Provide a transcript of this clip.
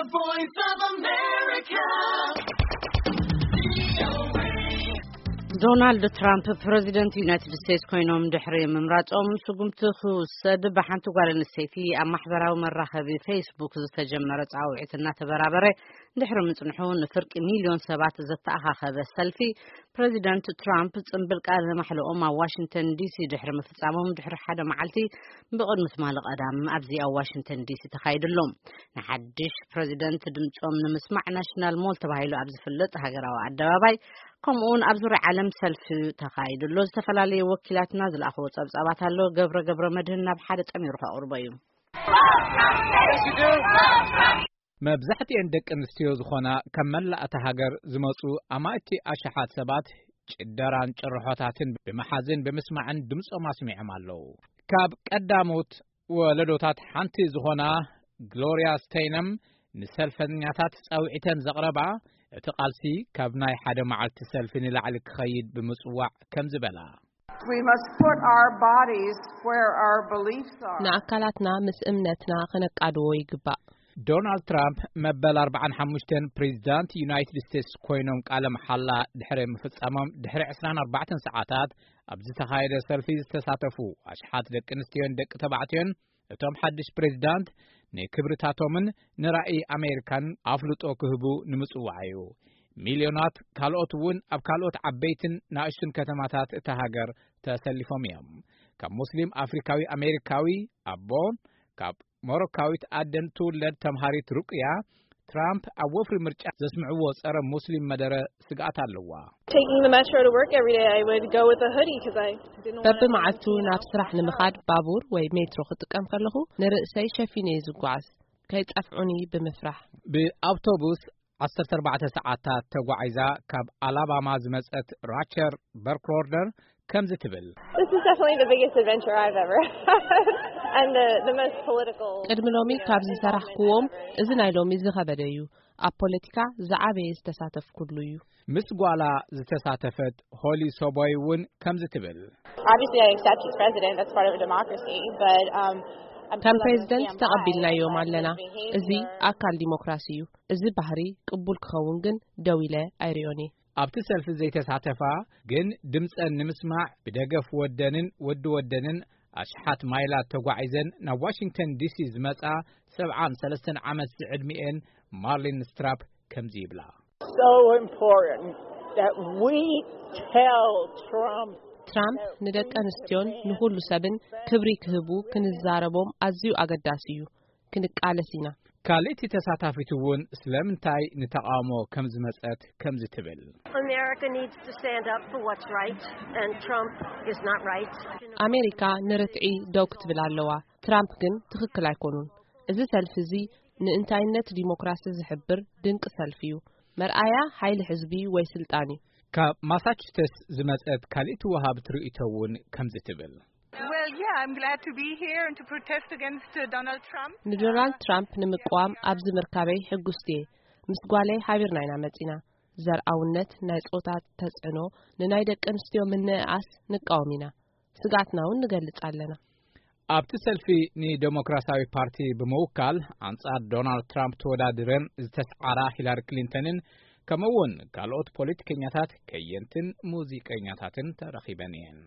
Voice of America. ዶናልድ ትራምፕ ፕረዚደንት ዩናይትድ ስቴትስ ኮይኖም ድሕሪ ምምራጾም፣ ስጉምቲ ክውሰድ ብሓንቲ ጓል ኣንስተይቲ ኣብ ማሕበራዊ መራኸቢ ፌስቡክ ዝተጀመረ ጻውዒት እናተበራበረ ድሕሪ ምጽንሑ፣ ንፍርቂ ሚልዮን ሰባት ዘተኣኻኸበ ሰልፊ ፕረዚደንት ትራምፕ ጽምብል ቃለ ማሕልኦም ኣብ ዋሽንግተን ዲሲ ድሕሪ ምፍጻሞም ድሕሪ ሓደ መዓልቲ፣ ብቕድሚ ትማሊ ቀዳም ኣብዚ ኣብ ዋሽንግተን ዲሲ ተኻይዱ ኣሎ። ንሓድሽ ፕረዚደንት ድምጾም ንምስማዕ ናሽናል ሞል ተባሂሉ ኣብ ዝፍለጥ ሃገራዊ ኣደባባይ፣ ከምኡውን ኣብ ዙርያ ዓለም ሰልፊ ተኻይዱ ኣሎ። ዝተፈላለዩ ወኪላትና ዝለኣኽዎ ጸብጻባት ኣሎ። ገብረ ገብረ መድህን ናብ ሓደ ጠሚሩ ከቕርቦ እዩ። መብዛሕትኤን ደቂ ኣንስትዮ ዝኾና ካብ መላእ እታ ሃገር ዝመጹ ኣማእቲ ኣሽሓት ሰባት ጭደራን ጭርሖታትን ብምሓዝን ብምስማዕን ድምጾም ኣስሚዖም ኣለዉ። ካብ ቀዳሞት ወለዶታት ሓንቲ ዝኾና ግሎርያ ስቴይነም ንሰልፈኛታት ጻውዒተን ዘቕረባ፣ እቲ ቃልሲ ካብ ናይ ሓደ መዓልቲ ሰልፊ ንላዕሊ ክኸይድ ብምጽዋዕ ከምዚ በላ። We must put our bodies where our beliefs are. ንኣካላትና ምስ እምነትና ክነቃድዎ ይግባእ። ዶናልድ ትራምፕ መበል ኣርባዓን ሓሙሽተን ፕሬዚዳንት ዩናይትድ ስቴትስ ኮይኖም ቃለ መሓላ ድሕሪ ምፍጻሞም ድሕሪ ዕስራን ኣርባዕተን ሰዓታት ኣብ ዝተኻየደ ሰልፊ ዝተሳተፉ ኣሽሓት ደቂ ኣንስትዮን ደቂ ተባዕትዮን፣ እቶም ሓድሽ ፕሬዚዳንት ንክብርታቶምን ንራእይ ኣሜሪካን ኣፍልጦ ክህቡ ንምጽዋዕ እዩ። ሚልዮናት ካልኦት እውን ኣብ ካልኦት ዓበይትን ንኣሽቱን ከተማታት እታ ሃገር ተሰሊፎም እዮም። ካብ ሙስሊም ኣፍሪካዊ ኣሜሪካዊ ኣቦን ካብ ሞሮካዊት ኣደን ትውለድ ተምሃሪት ሩቅያ፣ ትራምፕ ኣብ ወፍሪ ምርጫ ዘስምዕዎ ጸረ ሙስሊም መደረ ስግኣት ኣለዋ። Taking the metro to work every day, I would go with a hoodie because I didn't want በብመዓልቱ ናብ ስራሕ ንምኻድ ባቡር ወይ ሜትሮ ክጥቀም ከለኹ ንርእሰይ ሸፊነ እየ ዝጓዓዝ፣ ከይጸፍዑኒ ብምፍራሕ። ብኣውቶቡስ ዓሰርተ ኣርባዕተ ሰዓታት ተጓዒዛ ካብ ኣላባማ ዝመጸት ራቸር በርክሮርደር ከምዚ ትብል። This is definitely the biggest adventure I've ever had and the, the most political. ቅድሚ ሎሚ ካብ ዝሰራሕክዎም እዚ ናይ ሎሚ ዝኸበደ እዩ። ኣብ ፖለቲካ ዝዓበየ ዝተሳተፍኩሉ እዩ። ምስ ጓላ ዝተሳተፈት ሆሊ ሶቦይ እውን ከምዚ ትብል። Obviously, I accept he's president. That's part of a democracy. But um, I'm ከም ፕሬዝደንት ተቐቢልናዮም ኣለና። እዚ ኣካል ዲሞክራሲ እዩ። እዚ ባህሪ ቅቡል ክኸውን ግን ደው ኢለ ኣይሪኦን እየ። ኣብቲ ሰልፊ ዘይተሳተፋ ግን ድምጸን ንምስማዕ ብደገፍ ወደንን ወዲ ወደንን ኣሽሓት ማይላት ተጓዒዘን ናብ ዋሽንግተን ዲሲ ዝመጻ ሰብዓን ሰለስተን ዓመት ዝዕድሚኤን ማርሊን ስትራፕ ከምዚ ይብላ። So important that we tell Trump ትራምፕ ንደቂ ኣንስትዮን ንኹሉ ሰብን ክብሪ ክህቡ ክንዛረቦም ኣዝዩ ኣገዳሲ እዩ። ክንቃለስ ኢና። ካልእቲ ተሳታፊት እውን ስለምንታይ ንተቓውሞ ከም ዝመጸት ከምዚ ትብል። America needs to stand up for what's right and Trump is not right. ኣሜሪካ ንርትዒ ደው ክትብል ኣለዋ። ትራምፕ ግን ትኽክል ኣይኮኑን። እዚ ሰልፊ እዚ ንእንታይነት ዲሞክራሲ ዝሕብር ድንቂ ሰልፊ እዩ። መርኣያ ሓይሊ ሕዝቢ ወይ ስልጣን እዩ። ካብ ማሳቹሴትስ ዝመጸት ካልእቲ ወሃብት ርእይቶ እውን ከምዚ ትብል። Well, yeah, I'm glad to be here and to protest against uh, Donald Trump. ንዶናልድ ትራምፕ ንምቅዋም ኣብዚ ምርካበይ ሕጉስቲ እየ። ምስ ጓለይ ሓቢርና ኢና መጺና። ዘርኣውነት፣ ናይ ጾታ ተጽዕኖ፣ ንናይ ደቂ ኣንስትዮ ምንእኣስ ንቃወም ኢና። ስግኣትና እውን ንገልጽ ኣለና። ኣብቲ ሰልፊ ንደሞክራሲያዊ ፓርቲ ብምውካል ኣንጻር ዶናልድ ትራምፕ ተወዳዲረን ዝተስዓራ ሂላሪ ክሊንተንን ከምኡውን ካልኦት ፖለቲከኛታት፣ ከየንትን ሙዚቀኛታትን ተረኺበን እየን።